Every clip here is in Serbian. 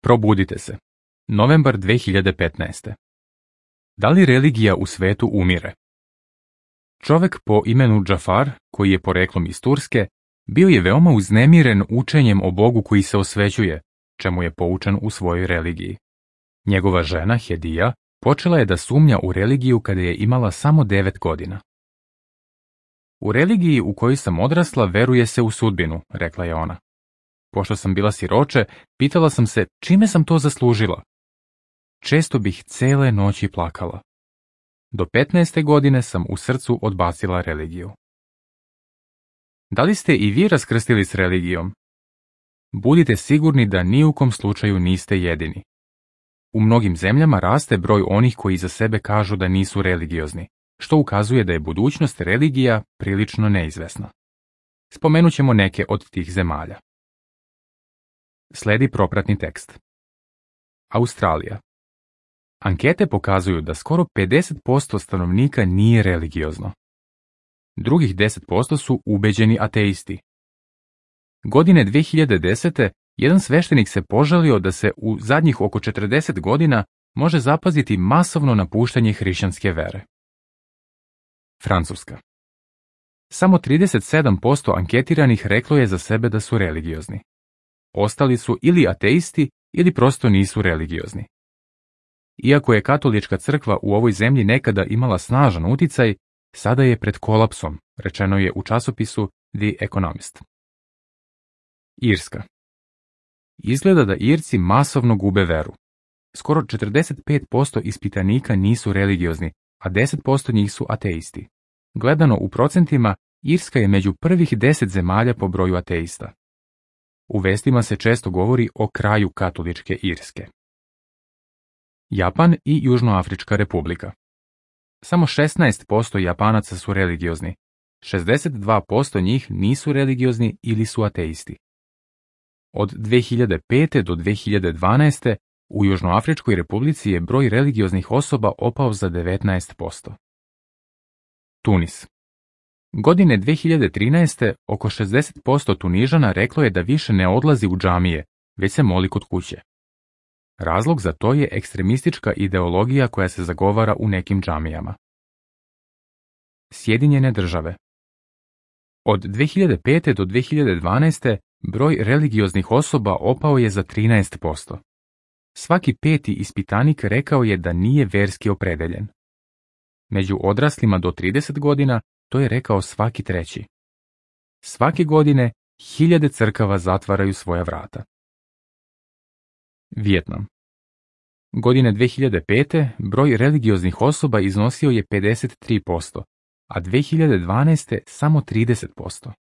Probudite se. Novembar 2015. Da li religija u svetu umire? Čovjek po imenu Džafar, koji je poreklom iz Turske, bio je veoma uznemiren učenjem o Bogu koji se osvećuje, čemu je poučen u svojoj religiji. Njegova žena, Hedija, počela je da sumnja u religiju kada je imala samo 9 godina. U religiji u kojoj sam odrasla veruje se u sudbinu, rekla je ona. Pošto sam bila siroče, pitala sam se čime sam to zaslužila. Često bih cele noći plakala. Do 15. godine sam u srcu odbacila religiju. Da li ste i vi raskrstili s religijom? Budite sigurni da ni u kom slučaju niste jedini. U mnogim zemljama raste broj onih koji za sebe kažu da nisu religiozni, što ukazuje da je budućnost religija prilično neizvesna. Spomenut ćemo neke od tih zemalja. Sledi propratni tekst. Australija. Ankete pokazuju da skoro 50% stanovnika nije religiozno. Drugih 10% su ubeđeni ateisti. Godine 2010. jedan sveštenik se požalio da se u zadnjih oko 40 godina može zapaziti masovno napuštanje hrišćanske vere. Francuska. Samo 37% anketiranih reklo je za sebe da su religiozni. Ostali su ili ateisti ili prosto nisu religiozni. Iako je katolička crkva u ovoj zemlji nekada imala snažan uticaj, sada je pred kolapsom, rečeno je u časopisu The Economist. Irska. Izgleda da Irci masovno gube veru. Skoro 45% ispitanika nisu religiozni, a 10% njih su ateisti. Gledano u procentima, Irska je među prvih 10 zemalja po broju ateista. U vestima se često govori o kraju katoličke Irske. Japan i Južnoafrička republika. Samo 16% Japanaca su religiozni, 62% njih nisu religiozni ili su ateisti. Od 2005. do 2012. u Južnoafričkoj republici je broj religioznih osoba opao za 19%. Tunis. Godine 2013. oko 60% Tunižana reklo je da više ne odlazi u džamije, već se moli kod kuće. Razlog za to je ekstremistička ideologija koja se zagovara u nekim džamijama. Sjedinjene države. Od 2005. do 2012. broj religioznih osoba opao je za 13%. Svaki peti ispitanik rekao je da nije verski opredeljen. Među odraslima do 30 godina to je rekao svaki treći. Svake godine hiljade crkava zatvaraju svoja vrata. Vijetnam. Godine 2005. broj religioznih osoba iznosio je 53%, a 2012. samo 30%.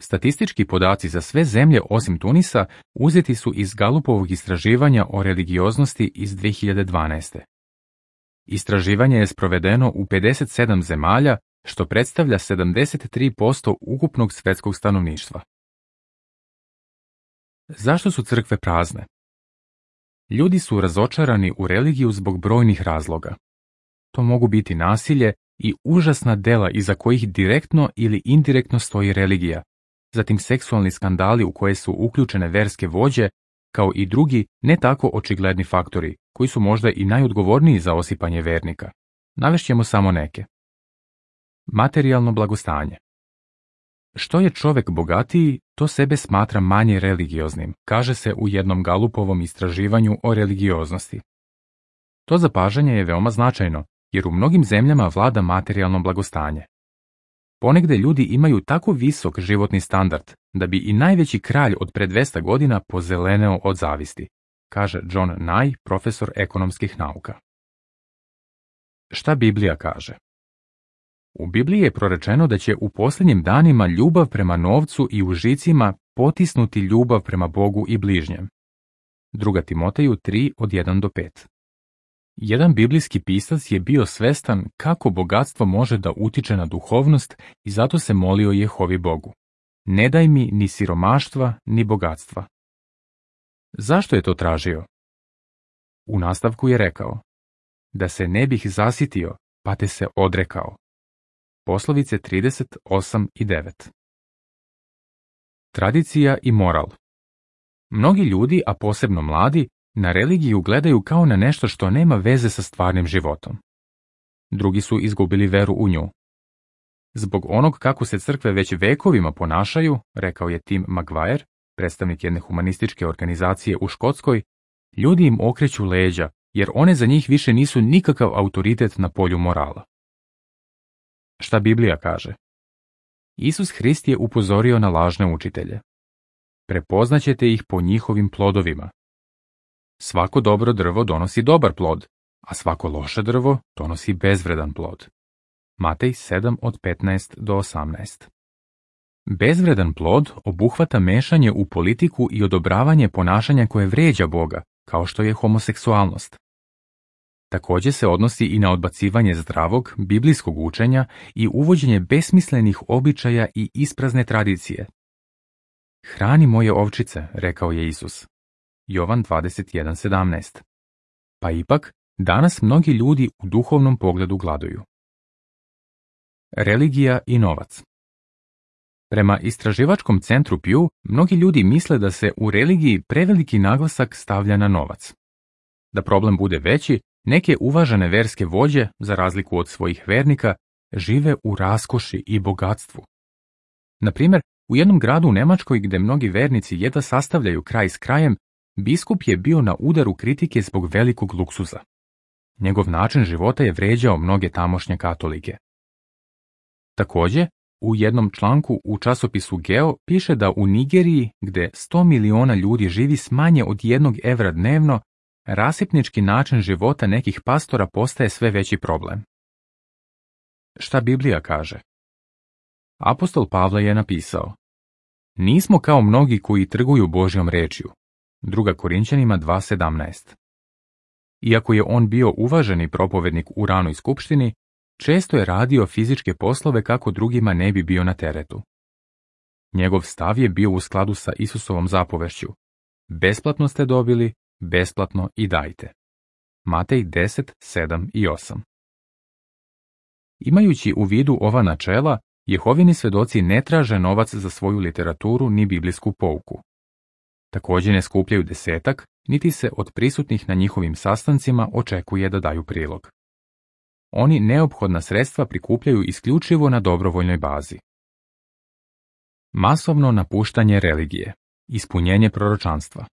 Statistički podaci za sve zemlje osim Tunisa uzeti su iz Galupovog istraživanja o religioznosti iz 2012. Istraživanje je sprovedeno u 57 zemalja, što predstavlja 73% ukupnog svjetskog stanovništva. Zašto su crkve prazne? Ljudi su razočarani u religiju zbog brojnih razloga. To mogu biti nasilje i užasna dela iza kojih direktno ili indirektno stoji religija, zatim seksualni skandali u koje su uključene verske vođe, kao i drugi ne tako očigledni faktori, koji su možda i najodgovorniji za osipanje vernika. Navešćemo samo neke. Materijalno blagostanje. Što je čovjek bogatiji, to sebe smatra manje religioznim, kaže se u jednom Galupovom istraživanju o religioznosti. To zapažanje je veoma značajno, jer u mnogim zemljama vlada materijalno blagostanje. Ponegde ljudi imaju tako visok životni standard da bi i najveći kralj od pre 200 godina pozeleneo od zavisti, kaže John Nye, profesor ekonomskih nauka. Šta Biblija kaže? U Bibliji je prorečeno da će u posljednjim danima ljubav prema novcu i užicima potisnuti ljubav prema Bogu i bližnjem. 2. Timoteju 3 od 1 do 5. Jedan biblijski pisac je bio svestan kako bogatstvo može da utiče na duhovnost i zato se molio Jehovi Bogu. Ne daj mi ni siromaštva, ni bogatstva. Zašto je to tražio? U nastavku je rekao, da se ne bih zasitio, pa te se odrekao. Poslovice 38 i 9. Tradicija i moral. Mnogi ljudi, a posebno mladi, na religiju gledaju kao na nešto što nema veze sa stvarnim životom. Drugi su izgubili veru u nju. Zbog onog kako se crkve već vekovima ponašaju, rekao je Tim Maguire, predstavnik jedne humanističke organizacije u Škotskoj, ljudi im okreću leđa, jer one za njih više nisu nikakav autoritet na polju morala. Šta Biblija kaže? Isus Hrist je upozorio na lažne učitelje. Prepoznaćete ih po njihovim plodovima. Svako dobro drvo donosi dobar plod, a svako loše drvo donosi bezvredan plod. Matej 7 od 15 do 18. Bezvredan plod obuhvata mešanje u politiku i odobravanje ponašanja koje vređa Boga, kao što je homoseksualnost. Također se odnosi i na odbacivanje zdravog, biblijskog učenja i uvođenje besmislenih običaja i isprazne tradicije. Hrani moje ovčice, rekao je Isus. Jovan 21:17. Pa ipak, danas mnogi ljudi u duhovnom pogledu gladuju. Religija i novac. Prema istraživačkom centru Pew, mnogi ljudi misle da se u religiji preveliki naglasak stavlja na novac. Da problem bude veći, neke uvažene verske vođe, za razliku od svojih vernika, žive u raskoši i bogatstvu. Na primjer, u jednom gradu u Njemačkoj gdje mnogi vernici jedva sastavljaju kraj s krajem, biskup je bio na udaru kritike zbog velikog luksuza. Njegov način života je vrijeđao mnoge tamošnje katolike. Također, u jednom članku u časopisu Geo piše da u Nigeriji, gdje 100 miliona ljudi živi s manje od 1 evra dnevno, rasipnički način života nekih pastora postaje sve veći problem. Šta Biblija kaže? Apostol Pavle je napisao: Nismo kao mnogi koji trguju Božjom rečju. 2. Korinćanima 2:17. Iako je on bio uvaženi propovednik u ranoj skupštini, često je radio fizičke poslove kako drugima ne bi bio na teretu. Njegov stav je bio u skladu sa Isusovom zapovešću: besplatno ste dobili, besplatno i dajte. Matej 10:7 i 8. Imajući u vidu ova načela, Jehovini svedoci ne traže novac za svoju literaturu ni biblijsku pouku. Također ne skupljaju desetak, niti se od prisutnih na njihovim sastancima očekuje da daju prilog. Oni neophodna sredstva prikupljaju isključivo na dobrovoljnoj bazi. Masovno napuštanje religije, ispunjenje proročanstva.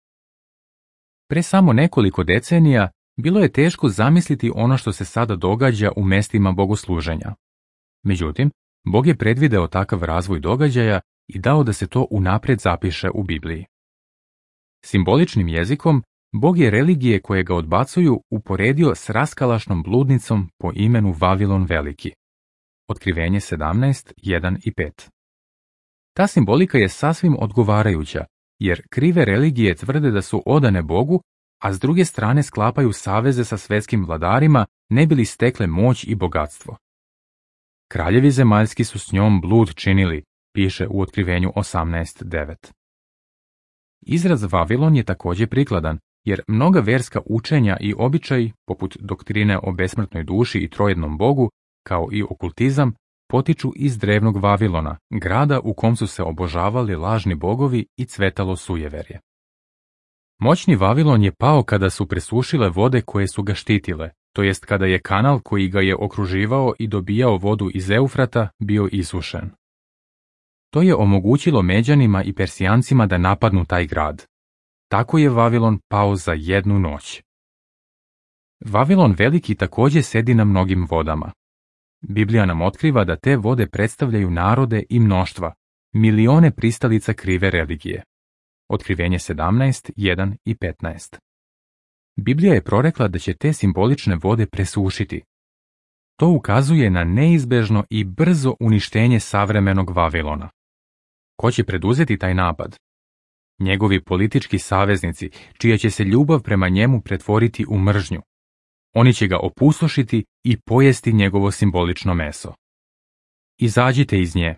Pre samo nekoliko decenija bilo je teško zamisliti ono što se sada događa u mestima bogosluženja. Međutim, Bog je predvideo takav razvoj događaja i dao da se to unaprijed zapiše u Bibliji. Simboličnim jezikom, Bog je religije koje ga odbacuju uporedio s raskalašnom bludnicom po imenu Vavilon Veliki. Otkrivenje 17:1 i 5. Ta simbolika je sasvim odgovarajuća, jer krive religije tvrde da su odane Bogu, a s druge strane sklapaju saveze sa svetskim vladarima ne bi li stekle moć i bogatstvo. Kraljevi zemaljski su s njom blud činili, piše u Otkrivenju 18:9. Izraz Vavilon je također prikladan, jer mnoga verska učenja i običaji, poput doktrine o besmrtnoj duši i trojednom Bogu, kao i okultizam, potiču iz drevnog Vavilona, grada u kom su se obožavali lažni bogovi i cvetalo sujeverje. Moćni Vavilon je pao kada su presušile vode koje su ga štitile, to jest kada je kanal koji ga je okruživao i dobijao vodu iz Eufrata bio isušen. To je omogućilo Međanima i Persijancima da napadnu taj grad. Tako je Vavilon pao za jednu noć. Vavilon Veliki također sedi na mnogim vodama. Biblija nam otkriva da te vode predstavljaju narode i mnoštva, milione pristalica krive religije. Otkrivenje 17:1 i 15. Biblija je prorekla da će te simbolične vode presušiti. To ukazuje na neizbežno i brzo uništenje savremenog Vavilona. Ko će preduzeti taj napad? Njegovi politički saveznici, čija će se ljubav prema njemu pretvoriti u mržnju. Oni će ga opustošiti i pojesti njegovo simbolično meso. Izađite iz nje.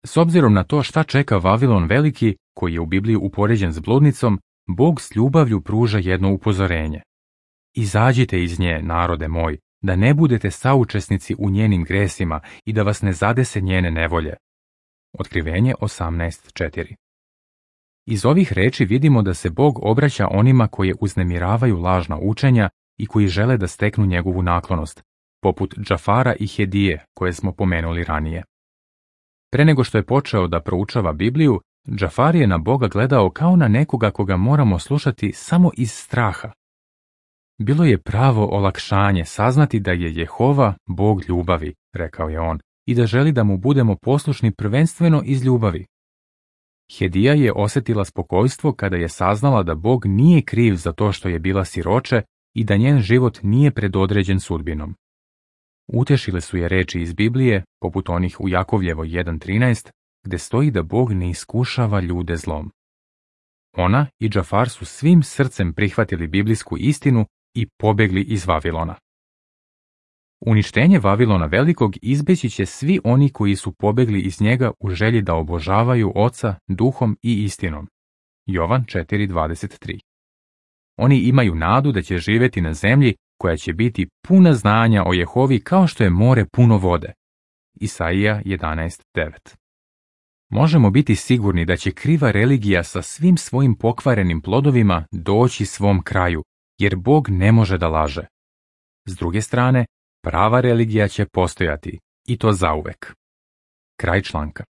S obzirom na to šta čeka Vavilon Veliki, koji je u Bibliji upoređen s bludnicom, Bog s ljubavlju pruža jedno upozorenje. Izađite iz nje, narode moj, da ne budete saučesnici u njenim gresima i da vas ne zadese njene nevolje. Otkrivenje 18:4. Iz ovih reči vidimo da se Bog obraća onima koje uznemiravaju lažna učenja i koji žele da steknu njegovu naklonost, poput Džafara i Hedije koje smo pomenuli ranije. Pre nego što je počeo da proučava Bibliju, Džafar je na Boga gledao kao na nekoga koga moramo slušati samo iz straha. Bilo je pravo olakšanje saznati da je Jehova Bog ljubavi, rekao je on, i da želi da mu budemo poslušni prvenstveno iz ljubavi. Hedija je osjetila spokojstvo kada je saznala da Bog nije kriv za to što je bila siroče i da njen život nije predodređen sudbinom. Utešile su je reči iz Biblije, poput onih u Jakovljevoj 1.13, gde stoji da Bog ne iskušava ljude zlom. Ona i Džafar su svim srcem prihvatili biblijsku istinu i pobegli iz Vavilona. Uništenje Vavilona Velikog izbeći će svi oni koji su pobegli iz njega u želji da obožavaju Oca duhom i istinom. Jovan 4.23. Oni imaju nadu da će živjeti na zemlji koja će biti puna znanja o Jehovi kao što je more puno vode. Isaija 11.9. Možemo biti sigurni da će kriva religija sa svim svojim pokvarenim plodovima doći svom kraju, jer Bog ne može da laže. S druge strane, prava religija će postojati, i to zauvek. Kraj članka.